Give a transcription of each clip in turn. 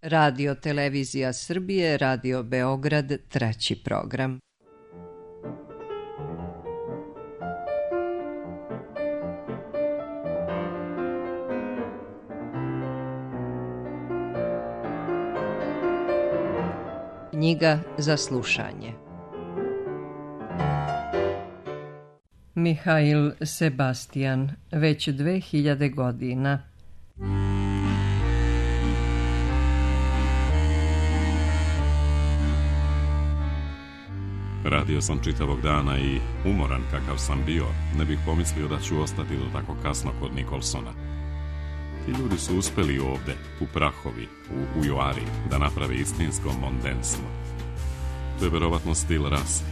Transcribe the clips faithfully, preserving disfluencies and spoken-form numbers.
Radio Televizija Srbije, Radio Beograd, treći program. Knjiga za slušanje. Mihail Sebastian, već dve hiljade godina. Radio sam čitavog dana i umoran kakav sam bio, ne bih pomislio da ću ostati do tako kasno kod Nikolsona. Ti ljudi su uspeli ovde, u Prahovi, u Ujoari, da naprave istinsko mondenstvo. To je verovatno stil rase.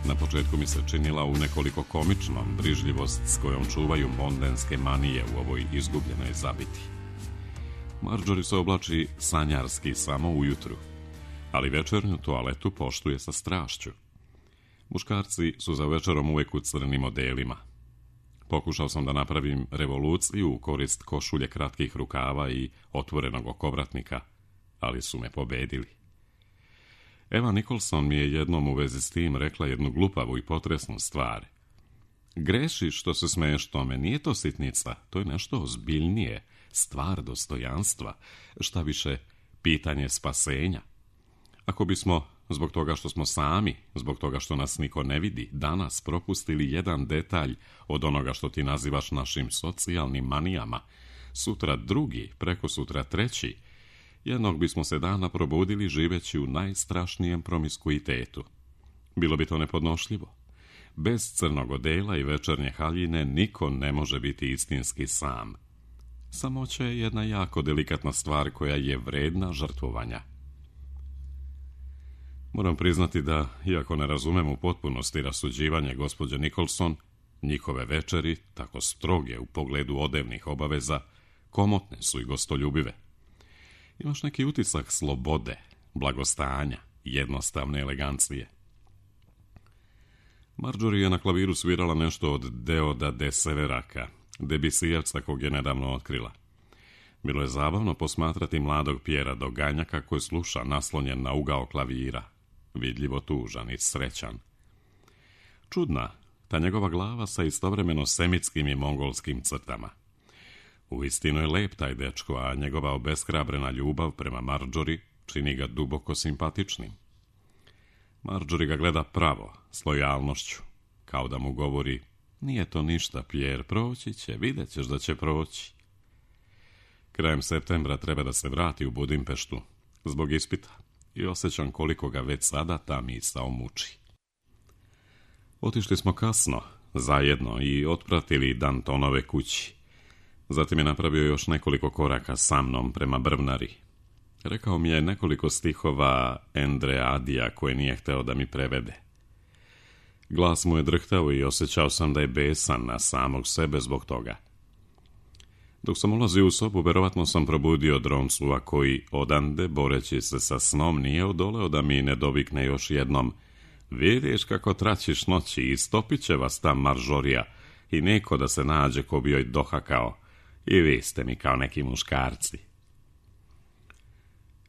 Na početku mi se činila u nekoliko komičnom brižljivost s kojom čuvaju mondenske manije u ovoj izgubljenoj zabiti. Marjorie se oblači sanjarski samo ujutru, ali večernju toaletu poštuje sa strašću. Muškarci su za večerom uvek u crnim odelima. Pokušao sam da napravim revoluciju u korist košulje kratkih rukava i otvorenog okovratnika, ali su me pobedili. Eva Nikolson mi je jednom u vezi s tim rekla jednu glupavu i potresnu stvar. Grešiš što se smeješ tome, nije to sitnica, to je nešto ozbiljnije, stvar dostojanstva, šta više, pitanje spasenja. Ako bismo, zbog toga što smo sami, zbog toga što nas niko ne vidi, danas propustili jedan detalj od onoga što ti nazivaš našim socijalnim manijama, sutra drugi, preko sutra treći, jednog bismo se dana probudili živeći u najstrašnijem promiskuitetu. Bilo bi to nepodnošljivo. Bez crnog odela i večernje haljine niko ne može biti istinski sam. Samoća je jedna jako delikatna stvar koja je vredna žrtvovanja. Moram priznati da, iako ne razumem u potpunosti rasuđivanje gospođe Nikolson, njihove večeri, tako stroge u pogledu odevnih obaveza, komotne su i gostoljubive. Imaš neki utisak slobode, blagostanja, jednostavne elegancije. Marjorie je na klaviru svirala nešto od Deoda de Severaka, Debisijevca kog je nedavno otkrila. Bilo je zabavno posmatrati mladog Pjera Doganja kako je sluša naslonjen na ugao klavira, vidljivo tužan i srećan. Čudna, ta njegova glava sa istovremeno semitskim i mongolskim crtama. Uistinu je lep taj dečko, a njegova obeshrabrena ljubav prema Marjorie čini ga duboko simpatičnim. Marjorie ga gleda pravo, s lojalnošću, kao da mu govori: nije to ništa, Pierre, proći će, vidjet ćeš da će proći. Krajem septembra treba da se vrati u Budimpeštu, zbog ispita, i osjećam koliko ga već sada ta misao muči. Otišli smo kasno, zajedno, i otpratili Dantonove kući. Zatim je napravio još nekoliko koraka sa mnom prema Brvnari. Rekao mi je nekoliko stihova Endreadija koje nije hteo da mi prevede. Glas mu je drhtao i osjećao sam da je besan na samog sebe zbog toga. Dok sam ulazio u sobu, verovatno sam probudio Droncua koji, odande, boreći se sa snom, nije odoleo da mi ne dovikne još jednom: vidiš kako traćiš noći, istopit će vas ta Marjoria i neko da se nađe ko bi joj dohakao. I vi ste mi kao neki muškarci.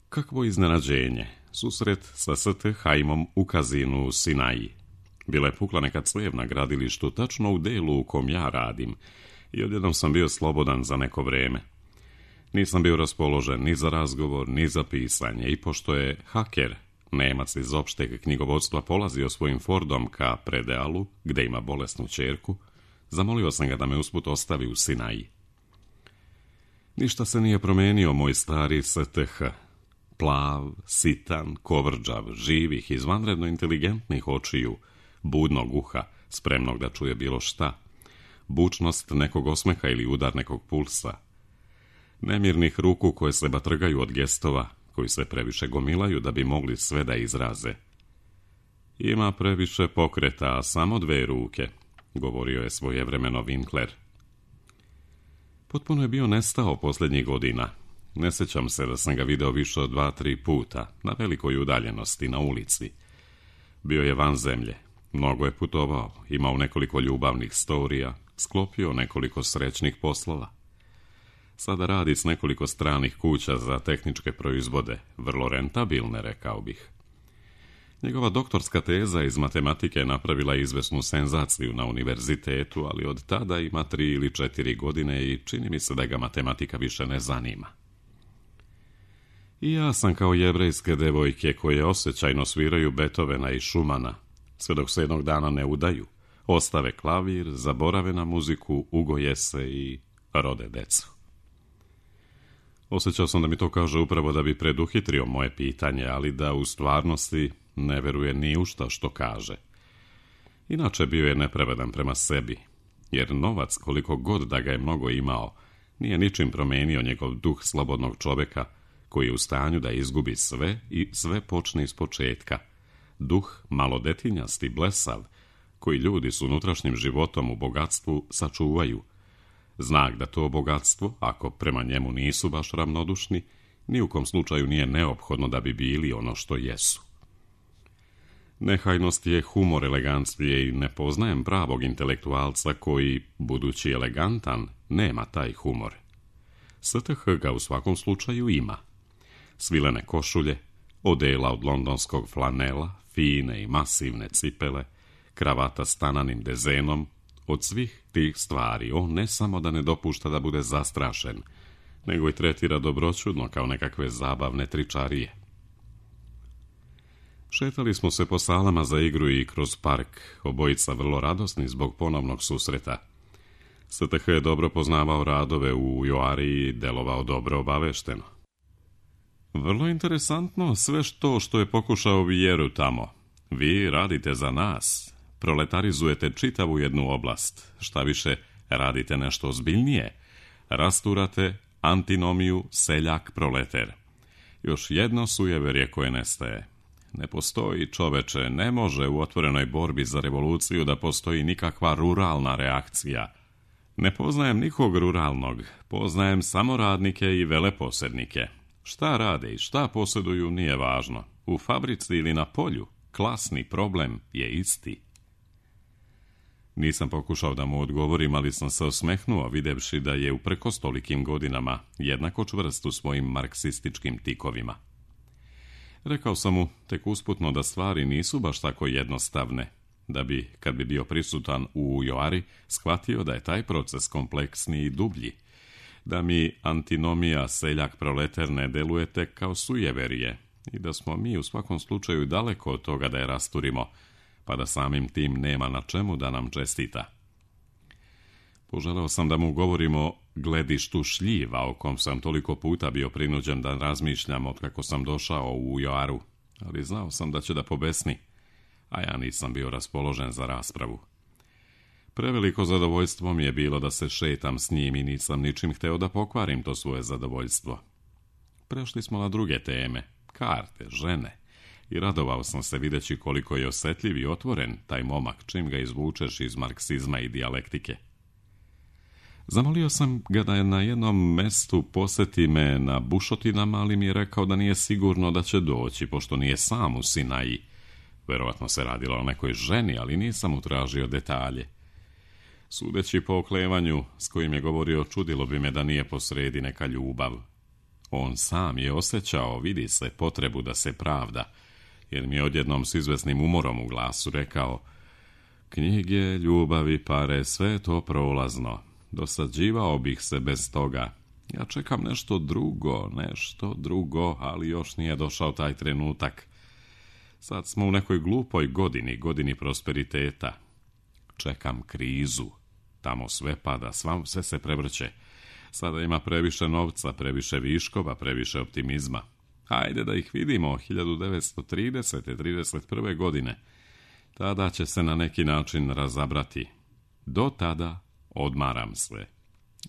Kakvo iznenađenje, susret sa S T Haimom u kazinu u Sinaji. Bila je pukla neka clev na gradilištu, tačno u delu u kom ja radim, i odjednom sam bio slobodan za neko vreme. Nisam bio raspoložen ni za razgovor, ni za pisanje, i pošto je haker, Nemac iz opšteg knjigovodstva, polazio svojim Fordom ka Predealu, gde ima bolesnu ćerku, zamolio sam ga da me usput ostavi u Sinaji. Ništa se nije promenio, moj stari S T H. Plav, sitan, kovrđav, živih, izvanredno inteligentnih očiju, budnog uha, spremnog da čuje bilo šta, bučnost nekog osmeha ili udar nekog pulsa, nemirnih ruku koje se batrgaju od gestova, koji se previše gomilaju da bi mogli sve da izraze. Ima previše pokreta, a samo dve ruke, govorio je svojevremeno Winkler. Potpuno je bio nestao posljednjih godina. Ne sjećam se da sam ga video više od dva, tri puta, na velikoj udaljenosti, na ulici. Bio je van zemlje, mnogo je putovao, imao nekoliko ljubavnih storija, sklopio nekoliko srećnih poslova. Sada radi s nekoliko stranih kuća za tehničke proizvode, vrlo rentabilne, rekao bih. Njegova doktorska teza iz matematike napravila je izvesnu senzaciju na univerzitetu, ali od tada ima tri ili četiri godine i čini mi se da ga matematika više ne zanima. I ja sam kao jevrejske devojke koje osjećajno sviraju Beethovena i Schumana, sve dok se jednog dana ne udaju, ostave klavir, zaborave na muziku, ugoje se i rode decu. Osjećao sam da mi to kaže upravo da bi preduhitrio moje pitanje, ali da u stvarnosti ne veruje ni u šta što kaže. Inače bio je nepravedan prema sebi, jer novac, koliko god da ga je mnogo imao, nije ničim promenio njegov duh slobodnog čoveka, koji je u stanju da izgubi sve i sve počne iz početka. Duh malodetinjasti, blesav, koji ljudi s unutrašnjim životom u bogatstvu sačuvaju. Znak da to bogatstvo, ako prema njemu nisu baš ravnodušni, ni u kom slučaju nije neophodno da bi bili ono što jesu. Nehajnost je humor elegancije i ne poznajem pravog intelektualca koji, budući elegantan, nema taj humor. S T H ga u svakom slučaju ima. Svilene košulje, odela od londonskog flanela, fine i masivne cipele, kravata s tananim dezenom, od svih tih stvari on ne samo da ne dopušta da bude zastrašen, nego i tretira dobroćudno kao nekakve zabavne tričarije. Šetali smo se po salama za igru i kroz park, obojica vrlo radosni zbog ponovnog susreta. S T H je dobro poznavao radove u Joari i delovao dobro obavešteno. Vrlo interesantno sve što što je pokušao Vjeru tamo. Vi radite za nas, proletarizujete čitavu jednu oblast, šta više, radite nešto ozbiljnije, rasturate antinomiju seljak-proleter. Još jedno sujeverje koje nestaje. Ne postoji, čoveče, ne može u otvorenoj borbi za revoluciju da postoji nikakva ruralna reakcija. Ne poznajem nikog ruralnog, poznajem samo radnike i veleposjednike. Šta rade i šta posjeduju nije važno. U fabrici ili na polju, klasni problem je isti. Nisam pokušao da mu odgovorim, ali sam se osmehnuo videvši da je uprkos tolikim godinama jednako čvrst u svojim marksističkim tikovima. Rekao sam mu tek usputno da stvari nisu baš tako jednostavne, da bi, kad bi bio prisutan u Joari, shvatio da je taj proces kompleksniji i dublji, da mi antinomija seljak-proleter ne deluje tek kao sujeverije i da smo mi u svakom slučaju daleko od toga da je rasturimo, pa da samim tim nema na čemu da nam čestita. Poželeo sam da mu govorimo o gledištu šljiva o kom sam toliko puta bio prinuđen da razmišljam od kako sam došao u Joaru, ali znao sam da će da pobesni, a ja nisam bio raspoložen za raspravu. Preveliko zadovoljstvo mi je bilo da se šetam s njim i nisam ničim hteo da pokvarim to svoje zadovoljstvo. Prešli smo na druge teme, karte, žene, i radovao sam se videći koliko je osjetljiv i otvoren taj momak čim ga izvučeš iz marksizma i dijalektike. Zamolio sam ga da je na jednom mestu posjeti me na bušotinama, ali mi je rekao da nije sigurno da će doći, pošto nije sam u Sinaji. Verovatno se radilo o nekoj ženi, ali nisam utražio detalje. Sudeći po oklevanju s kojim je govorio, čudilo bi me da nije posredi neka ljubav. On sam je osjećao, vidi se, potrebu da se pravda, jer mi je odjednom s izvesnim umorom u glasu rekao: knjige, ljubavi, pare, sve to prolazno. Dosađivao bih se bez toga. Ja čekam nešto drugo, nešto drugo, ali još nije došao taj trenutak. Sad smo u nekoj glupoj godini, godini prosperiteta. Čekam krizu. Tamo sve pada, svam, sve se prevrće. Sada ima previše novca, previše viškova, previše optimizma. Hajde da ih vidimo, hiljadu devetsto tridesete. trideset prve godine. Tada će se na neki način razabrati. Do tada odmaram sve.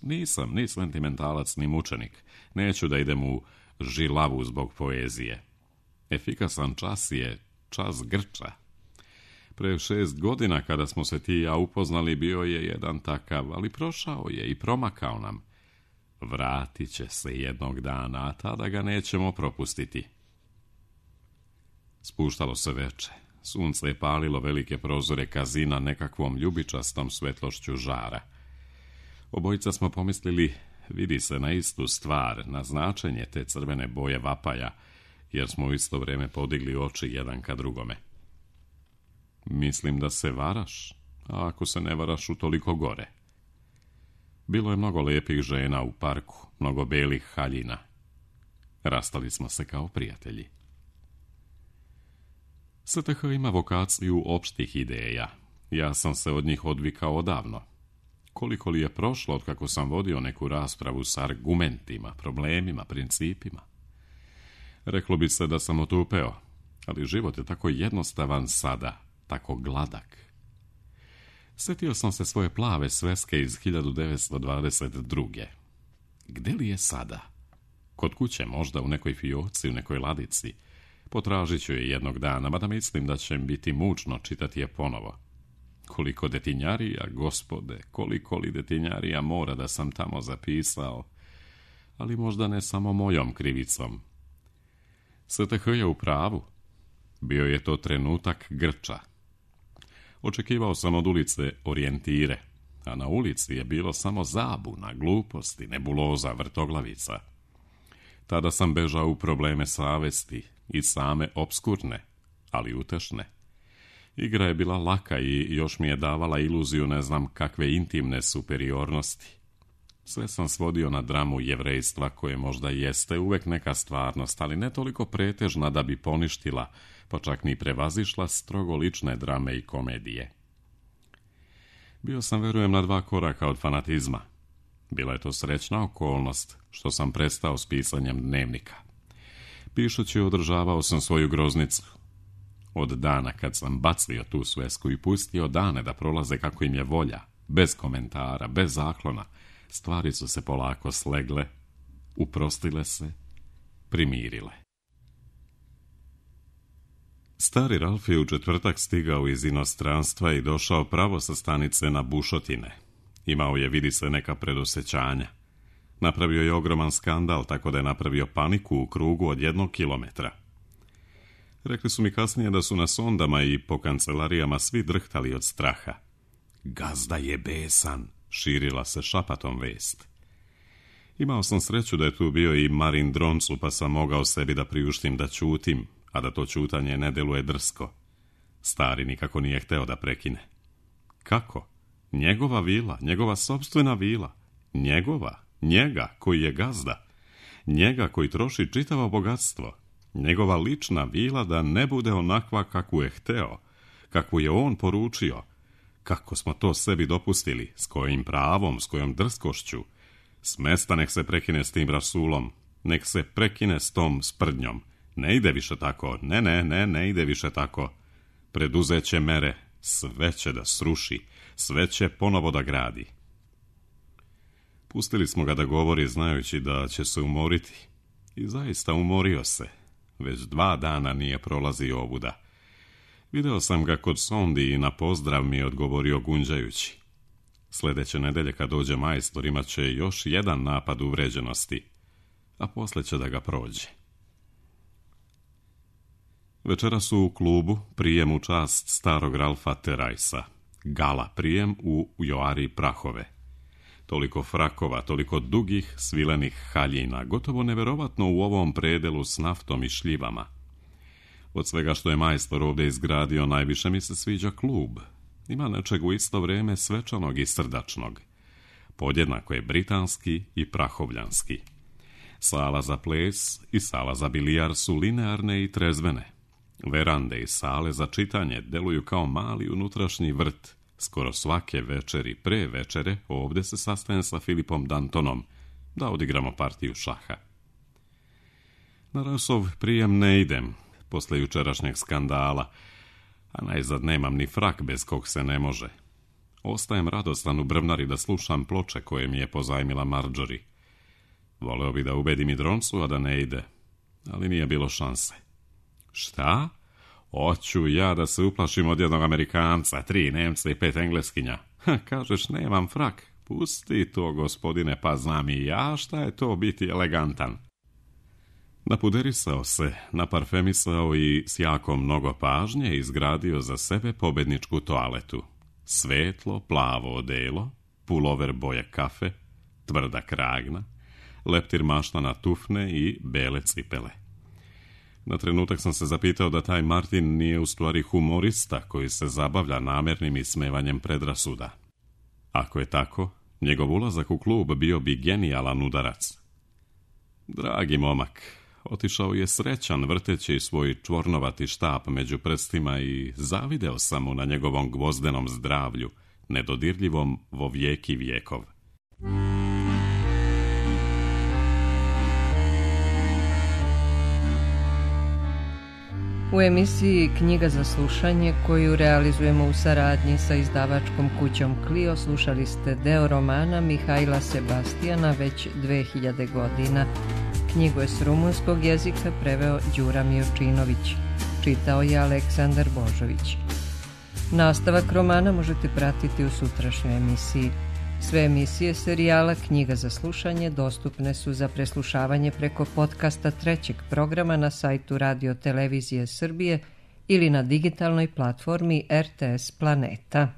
Nisam ni sentimentalac, ni mučenik. Neću da idem u žilavu zbog poezije. Efikasan čas je čas grča. Pre šest godina kada smo se ti i ja upoznali bio je jedan takav, ali prošao je i promakao nam. Vratit će se jednog dana, a tada ga nećemo propustiti. Spuštalo se veče. Sunce je palilo velike prozore kazina nekakvom ljubičastom svetlošću žara. Obojica smo pomislili, vidi se na istu stvar, na značenje te crvene boje vapaja, jer smo u isto vrijeme podigli oči jedan ka drugome. Mislim da se varaš, a ako se ne varaš, utoliko gore. Bilo je mnogo lijepih žena u parku, mnogo belih haljina. Rastali smo se kao prijatelji. S T H ima vokaciju opštih ideja. Ja sam se od njih odvikao odavno. Koliko li je prošlo od kako sam vodio neku raspravu s argumentima, problemima, principima? Reklo bi se da sam otupeo, ali život je tako jednostavan sada, tako gladak. Sjetio sam se svoje plave sveske iz hiljadu devetsto dvadeset druge. Gde li je sada? Kod kuće, možda u nekoj fioci, u nekoj ladici. Potražit ću je jednog dana, mada mislim da će biti mučno čitati je ponovo. Koliko detinjarija, gospode, koliko li detinjarija mora da sam tamo zapisao, ali možda ne samo mojom krivicom. S T H je u pravu. Bio je to trenutak grča. Očekivao sam od ulice orijentire, a na ulici je bilo samo zabuna, gluposti, nebuloza, vrtoglavica. Tada sam bežao u probleme savesti i same obskurne, ali utešne. Igra je bila laka i još mi je davala iluziju ne znam kakve intimne superiornosti. Sve sam svodio na dramu jevrejstva koje možda jeste uvek neka stvarnost, ali ne toliko pretežna da bi poništila, pa čak ni prevazišla strogo lične drame i komedije. Bio sam, verujem, na dva koraka od fanatizma. Bila je to srećna okolnost što sam prestao s pisanjem dnevnika. Pišući održavao sam svoju groznicu. Od dana kad sam bacio tu svesku i pustio dane da prolaze kako im je volja, bez komentara, bez zaklona, stvari su se polako slegle, uprostile se, primirile. Stari Ralf je u četvrtak stigao iz inostranstva i došao pravo sa stanice na bušotine. Imao je, vidi se, neka predosećanja. Napravio je ogroman skandal, tako da je napravio paniku u krugu od jednog kilometra. Rekli su mi kasnije da su na sondama i po kancelarijama svi drhtali od straha. Gazda je besan, širila se šapatom vest. Imao sam sreću da je tu bio i Marin Droncu, pa sam mogao sebi da priuštim da ćutim, a da to ćutanje ne deluje drsko. Stari nikako nije hteo da prekine. Kako? Njegova vila, njegova sopstvena vila, njegova, njega koji je gazda, njega koji troši čitavo bogatstvo, njegova lična vila da ne bude onakva kakvu je hteo, kakvu je on poručio. Kako smo to sebi dopustili, s kojim pravom, s kojom drskošću. Smesta nek se prekine s tim rasulom, nek se prekine s tom sprdnjom. Ne ide više tako, ne, ne, ne, ne ide više tako. Preduzeće mere, sve će da sruši, sve će ponovo da gradi. Pustili smo ga da govori znajući da će se umoriti. I zaista umorio se. Već dva dana nije prolazio ovuda. Video sam ga kod sondi i na pozdrav mi je odgovorio gunđajući. Sljedeće nedelje kad dođe majstor imat će još jedan napad uvređenosti, a posle će da ga prođe. Večera su u klubu prijem u čast starog Ralfa Terajsa. Gala prijem u Joari Prahove. Toliko frakova, toliko dugih, svilenih haljina, gotovo neverovatno u ovom predelu s naftom i šljivama. Od svega što je majstor ovdje izgradio, najviše mi se sviđa klub. Ima nečeg u isto vrijeme svečanog i srdačnog. Podjednako je britanski i prahovljanski. Sala za ples i sala za bilijar su linearne i trezvene. Verande i sale za čitanje deluju kao mali unutrašnji vrt. Skoro svake večeri pre večere ovdje se sastajem sa Filipom Dantonom da odigramo partiju šaha. Na Rasov prijem ne idem, posle jučerašnjeg skandala, a najzad nemam ni frak bez kog se ne može. Ostajem radostan u brvnari da slušam ploče koje mi je pozajmila Marjorie. Voleo bi da ubedim i Droncu, a da ne ide, ali nije bilo šanse. Šta? Oću ja da se uplašim od jednog Amerikanca, tri Nemca i pet Engleskinja. Ha, kažeš, nemam frak. Pusti to, gospodine, pa znam i ja šta je to biti elegantan. Napuderisao se, naparfemisao i s jako mnogo pažnje izgradio za sebe pobedničku toaletu. Svetlo, plavo odelo, pulover boje kafe, tvrda kragna, leptir maštana tufne i bele cipele. Na trenutak sam se zapitao da taj Martin nije u stvari humorista koji se zabavlja namjernim ismevanjem predrasuda. Ako je tako, njegov ulazak u klub bio bi genijalan udarac. Dragi momak, otišao je srećan vrteći svoj čvornovati štap među prstima i zavideo sam mu na njegovom gvozdenom zdravlju, nedodirljivom vo vijeki vijekov. U emisiji Knjiga za slušanje, koju realizujemo u saradnji sa izdavačkom kućom Clio, slušali ste deo romana Mihajla Sebastijana već dve hiljade godina. Knjigu je s rumunskog jezika preveo Đura Miočinović. Čitao je Aleksandar Božović. Nastavak romana možete pratiti u sutrašnjoj emisiji. Sve emisije serijala Knjiga za slušanje dostupne su za preslušavanje preko podcasta trećeg programa na sajtu Radio Televizije Srbije ili na digitalnoj platformi R T S Planeta.